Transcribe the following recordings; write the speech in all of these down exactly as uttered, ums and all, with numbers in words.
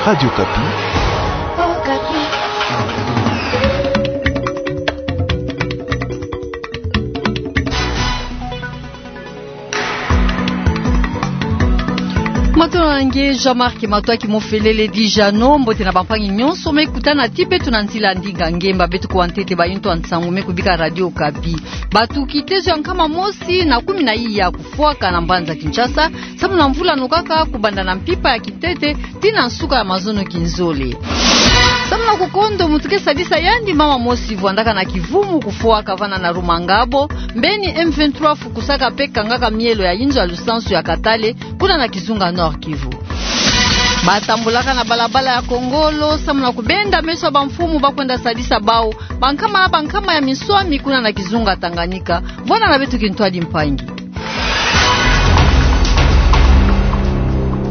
Radio Okapi. Matondo na nge Jean-Marc Matoaki Mofelele dit Jeannot, mbote na bampangi nyonso me kutana ti beto na nzila ndinga ngemba. Beto kuwa ntete bayintu ya nsangu me kubika Radio Okapi. Bato kitezo ya nkama mosi na kumi na iya kufwaka na mbanza Kinshasa, samu na mvula nukaka, kubanda na mpimpa ya kintete tii na nsuka ya mazono kinzole. Samu na kukondo mutuke sadisa yandi, mama mosi vwandaka na kivumu kufwaka vana na Rumangabo, mbeni M vingt-trois fukusaka pe kangaka mielo ya inzo ya lusansu ya Katale, kuna na kizunga Nord-Kivu. Batambulaka na balabala ya Kongolo, samu na kubenda meso ya bamfumu ba kwenda sadisa bau. Bankama, bankama ya minswami kuna na kizunga Tanganyika. Vwanda na beto kintwadi mpangi.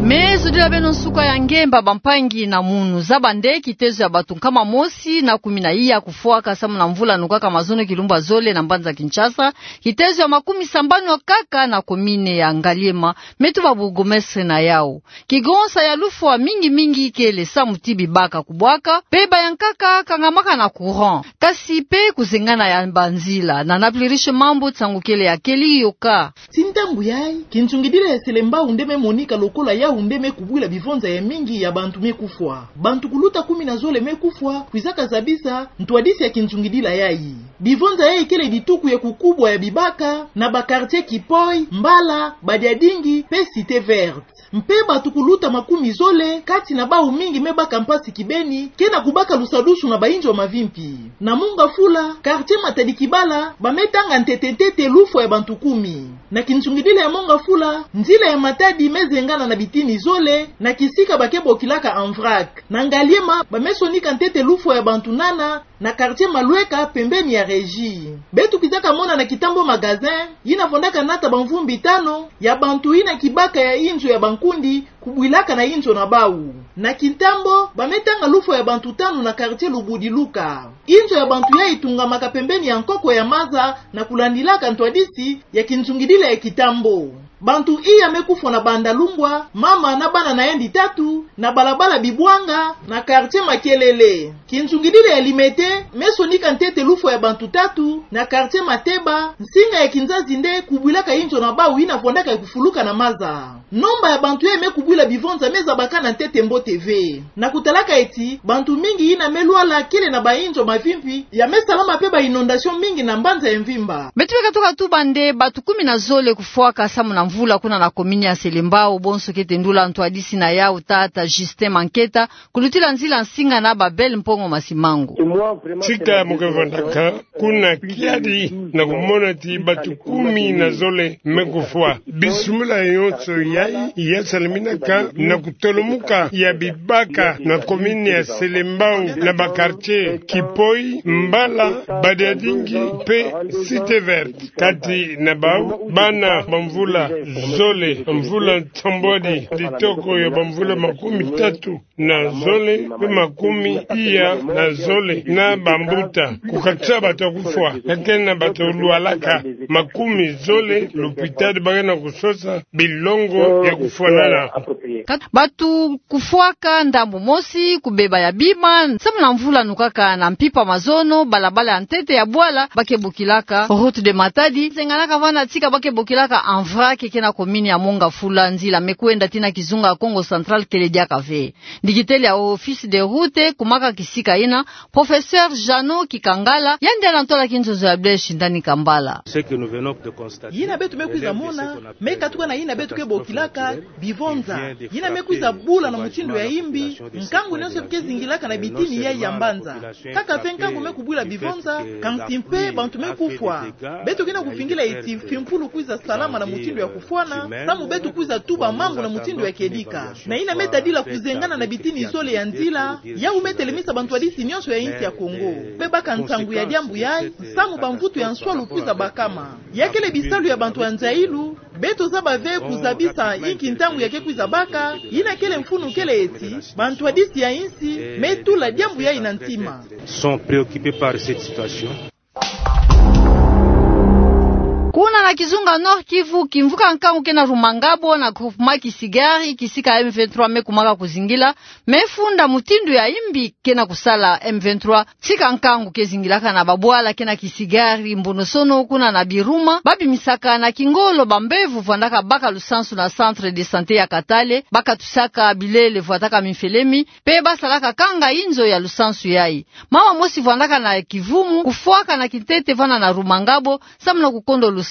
Me zodila beno nsuka ya ngemba, bampangi na munu. Zaba nde kitezo ya bato nkama mosi na kumi na iya kufwaka samu na mvula nukaka mazono kilumbu ya zole na mbanza Kinshasa, kitezo ya makumi sambanu kaka na komine ya Ngaliema, me tuba bourgmestre na yau. Kigonsa ya lufwa mingi mingi kele samu ti bibaka kubwaka, pe bayankaka kangamaka na courant, kasi pe kuzengana ya banzila. Na Napli Riche Mambu, nsangu kele ya keli yoka. Tii ntangu yayi, kinsungidila ya Selembao nde me monika lokola yau nde me kubwila bivonza ya mingi ya bantu me kufwa. Bantu kuluta kumi na zole me kufwa, kwizaka zabisa ntwadisi ya kinsungidila yayi. Bivonza yayi kele dituku ya kukubwa ya bibaka na ba quartier Kipoi, Mbala, Badiadingi pe Cité Verte. Mpe bato kuluta makumi zole, kati na bau mingi me baka mpasi kibeni, ke na kubaka lusadusu na bainzo mavimpi. Na Mont Ngafula, quartier Matadi Kibala, ba me tanga ntete ntete lufwa ya bantu kumi. Na kinsungidila ya Mont Ngafula, nzila ya Matadi me zengana na bitini zole, na kisika ba ke bokilaka en vrac. Na Ngaliema, ba me sonika ntete lufwa ya bantu nana, na quartier Malweka, pembeni ya Régie. Beto kwizaka mona na Kitambo magasin, yina vwandaka nata bamvumbi tanu, ya bantu yina kibaka ya inzo ya bankundi kubwilaka na inzo na bau. Na Kitambo, ba me tanga lufwa ya bantu tanu na quartier Lubudiluka. Inzo ya bantu yayi itungamaka pembeni ya nkoko ya maza na kulandilaka ntwadisi ya kinsungidila ya Kitambo. Bantu iya me kufwa na Bandalungwa, mama na bana na yandi tatu, na balabala Bibwanga, na quartier Makelele. Kinsungidila ya Limete me sonika ntete lufwa ya bantu tatu, na quartier Mateba, nsinga ya kinzazi nde kubwilaka inzo na bau yina vwandaka ya kufuluka na maza. Nomba ya bantu yayi me kubwila bivonza me zabakana ntete mbote ve. Na kutalaka eti, bantu mingi yina me lwala kele na bainzo mavimpi, ya me salama pe ba inondation mingi na mbanza ya mvimba. Beto me katuka tuba nde bato kumi na zole kufwaka samu na mvula kuna na komini ya Selembao, bonso kete ndula ntwadisi na yau tata Justin Manketa, kulutila nzila nsinga na Babel Mpongo Masimango. Tika mu ke vwandaka kuna kiadi na kumona ti bato kumi na zole me kufwa. Bisumuna yonso yayi ya salaminaka na kutolomuka ya bibaka na komini ya Selembao na ba quartier Kipoi, Mbala, Badiadingi pe Cité Verte. Kati na bau, bana bamvula zole, mvula nsambwadi, ditoko ya bamvula makumi tatu na zole, pe makumi iya na zole na bambuta. Kukatisa bato kufwa, kake na bato lwalaka makumi zole, lupitali ba ke na kusosa bilongo ya kufwanana. Bato kufwaka ndambu mosi, kubeba ya bima, samu na mvula nukaka na mpimpa mazono, balabala ya ntete ya bwala ba ke bokilaka Route de Matadi, zenganaka vana tika ba ke bokilaka en vrac, ke na komini ya Mont Ngafula, nzila me kwenda tii na kizunga Kongo Central kele diaka ve. Ndikiteli ya Office des Routes, kumaka kisika yina, Professeur Jeannot Kikangala, yandi ana ntwala kinzonzo ya Blaise Shindani Kambala. Yina beto me kwiza mona, me katuka na yina beto ke bokilaka bivonza. Yina me kwiza bula na mutindu ya yimbi, nkangu nyonso ke zingilaka na bitini yayi ya mbanza. Kaka ve nkangu me kubwila bivonza, kansi mpe bantu me kufwa. Beto ke na kuvingila eti mfimpulu kwiza salama na mutindu ya kufwana, samu beto kwiza tuba mambu na mutindu ya kedika. Na yina me tadila kuzengana na bitini zole ya nzila, yau me telemisa bantwadisi nyonso ya insi ya Kongo. Be baka nsangu ya diambu yayi, samu bamvutu ya nswalu kwiza bakama. Ya kele bisalu ya bantu ya nzayilu, beto zaba ve kuzabisa inki ntangu ya ke kwiza baka, yina kele mfunu kele eti, bantwadisi ya insi me tula diambu yayi na ntima. Sont préoccupés par cette situation. Kuna na kizunga Nord-Kivu, kimvuka nkangu ke na Rumangabo na groupement Kisigari, kisika M vingt-trois me kumaka kuzingila, me funda mutindu ya imbi ke na kusala M vingt-trois. Tika nkangu ke zingilaka na babwala ke na Kisigari, Mbonosono, kuna na Biruma, ba bimisaka na kingolo bambevo vandaka baka lusansu na centre de santé ya Katale, ba katusaka bilele vwataka mimfelemi, pe ba salaka kanga inzo ya lusansu yayi. Mama mosi vandaka na kivumu kufwaka na kintete vana na Rumangabo, samu na kukondo lusansu.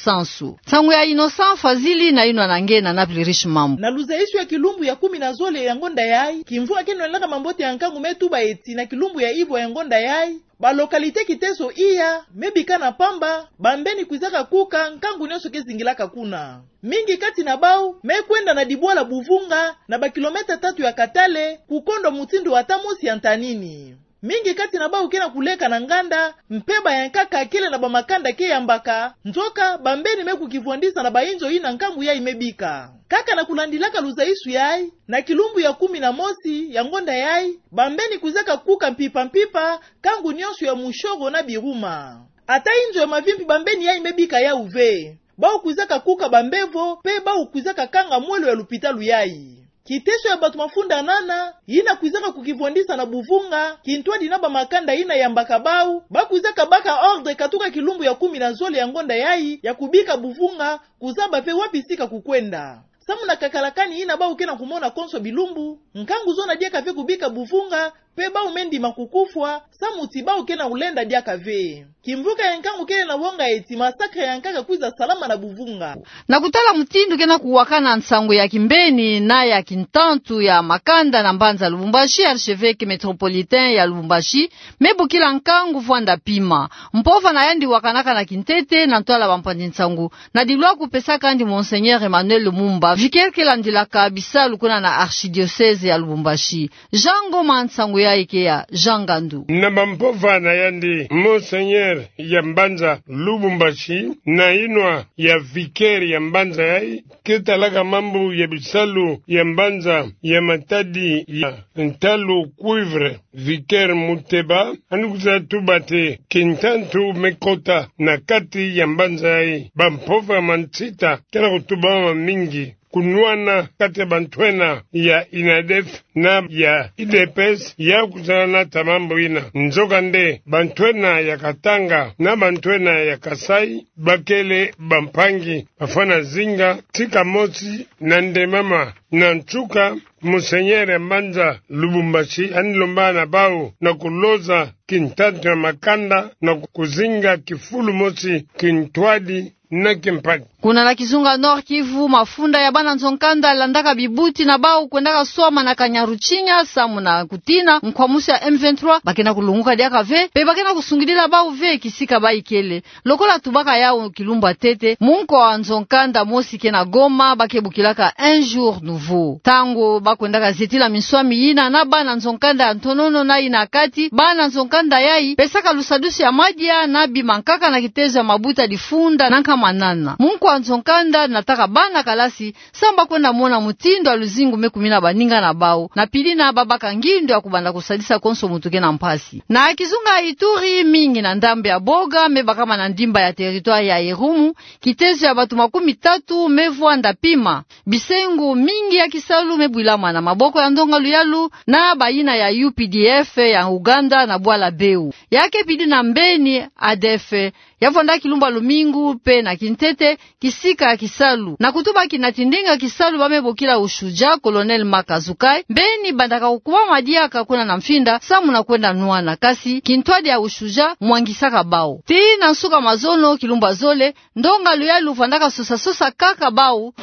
Nsangu ya Innocent Fazili na inwa na nge na Napoli Riche Mambu. Na luzaisu ya kilumbu ya kumi na zole ya ngonda yayi, kimvuka ke nwanaka mambote ya nkangu me tuba eti na kilumbu ya ivwa ya ngonda yayi, ba localité Kiteso Iya me bika na pamba, bambeni kwizaka kuka, nkangu nionso ke zingilaka kuna. Mingi kati na bau me kwenda na dibwala Buvunga, na ba kilomètre tatu ya Katale, kukondo mutindu ata mosi ya ntanini. Mingi kati na bau ke na kuleka na nganda, mpeba ya nkaka kele na bamakanda ke yambaka, nzoka bambeni me kukivwandisa na bainzo yina nkangu yayi me bika. Kaka na kulandilaka luzaisu yayi, na kilumbu ya kumi na mosi ya ngonda yayi, bambeni kwizaka kuka mpimpa-mpimpa, nkangu nionso ya Mushoro na Biruma. Ata inzo ya mavimpi bambeni yayi me bika yawu ve. Bau kwizaka kuka bambevo, pe bau kwizaka kanga mwelo ya lupitalu yayi. Kiteso ya batu mafunda nana, yina kwizaka kukivwandisa na Buvunga, kintwadi na bamakanda yina yambaka bau, ba kwizaka baka ordre katuka kilumbu ya kumi na zole ya ngonda yayi, ya kubika Buvunga, kuzaba ve wapi sika kukwenda. Samu na kakalakani yina bau ke na kumona konso bilumbu, nkangu zona diaka ve kubika Buvunga, pe bau me ndima kukufwa, samu ti bau ke na ulenda diaka ve. Kimvuka ya nkangu kele na wonga eti massacre ya nkaka kwiza salama na Buvunga. Na kutala mutindu ke na kuwakana nsangu ya kimbeni na ya kintantu ya makanda na mbanza Lubumbashi, archevêque métropolitain ya Lubumbashi me bokila nkangu vwanda pima. Mpova na yandi wakanaka na kintete na ntwala bampanzi nsangu, na dilwa kupesaka yandi Monseigneur Emmanuel Lumumba, vicaire ke landilaka bisalu kuna na archidiocèse ya Lubumbashi. Jean Ngoma, nsangu yayi ke ya Jean Ngandu. Na bampova na yandi, Monseigneur ya mbanza Lubumbashi, na inwa ya vicaire ya mbanza yayi, ke talaka mambu ya bisalu ya mbanza ya matadi ya ntalu cuivre, vicaire Muteba, yandi kwiza tuba ti kintantu me kota na kati ya mbanza yayi. Bampova mansita ke na kutuba mamingi, kunwana kati ya bantwenya ya INADEF na ya UDPS ya kwiza nata mambu yina. Nzokande, bantwenya ya Katanga na bantwenya ya Kasaï bakele bampangi, bafwana zinga tika mosi na ndemama. Na nsuka, Monseigneur ya mbanza Lubumbashi yandi lomba na bau na kuloza kintantu ya makanda na kuzinga kifulu mosi kintwadi na kimpadi. Kuna na kizunga Nord-Kivu, mafunda ya bana nzo-nkanda landaka bibuti na bau kwendaka swama na Kanyaruchinya, samu na kutina nkwamusi ya M vingt-trois ba ke na kulunguka diaka ve, pe ba ke na kusungidila bau ve kisika ba ikele. Lokola tubaka yawu kilumbu ya ntete, munkwa nzo-nkanda mosi ke na Goma ba ke bokilaka Un Jour Nouveau. Ntangu ba kwendaka zetila minswami yina na bana nzo-nkanda ya ntonono na yina ya kati, bana nzo-nkanda yayi pesaka lusadusu ya madia na bimankaka na kitezo ya mabuta difunda na nkama nana. Munkwa nzo-nkanda nataka bana kalasi, samu ba kwenda mona mutindu ya luzingu me kumina baninga na bau, na pili na ba baka ngindu ya kubanda kusadisa konso muntu ke na mpasi. Na kizunga Ituri, mingi na ndambu ya Boga me bakama na ndimba ya territoire ya Irumu, kitezo ya batu makumi tatu me vwanda pima. Bisengo mingi ya kisalu me bwilama na maboko ya ndonga luyalu na bayina ya U P D F ya Uganda na bwala Beu. Ya ke pili na mbeni A D F, ya vwanda kilumbu ya lumingu, pe na kintete, kisika ya kisalu. Na kutuba kina tindinga kisalu ba me bokila Ushujaa, Colonel Marc Azukai, mbeni bandaka kukubama diaka kuna na mfinda, samu na kwenda nwana. Kasi kintwadi ya Ushujaa mwangisaka bau. Tii na nsuka mazono, kilumbu ya zole, ndonga luyalu vwandaka sosa-sosa kaka bau.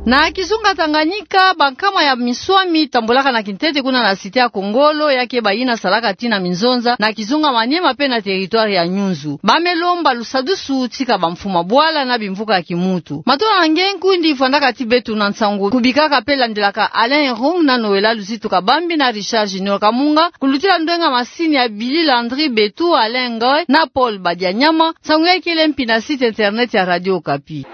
Na kizunga Tanganyika, bankama ya minswami tambulaka na kintete kuna na cité ya Kongolo, ya ke bayina salaka tii na minzonza na kizunga Maniema pe na territoire ya Nyunzu, ba me lomba lusadusu tika bamfumu ya bwala na bimvuka ya kimuntu. Matondo na nge nkundi vwandaka ti beto na nsangu, kubikaka pe landilaka Alain Rung na Noëlla Luzitu Kabambi na Richard Junior Kamunga, kulutila ndwenga masini ya Billy Landry Betu, Alain Ngoy na Paul Badianyama. Nsangu yayi kele mpi na site internet ya Radio Okapi.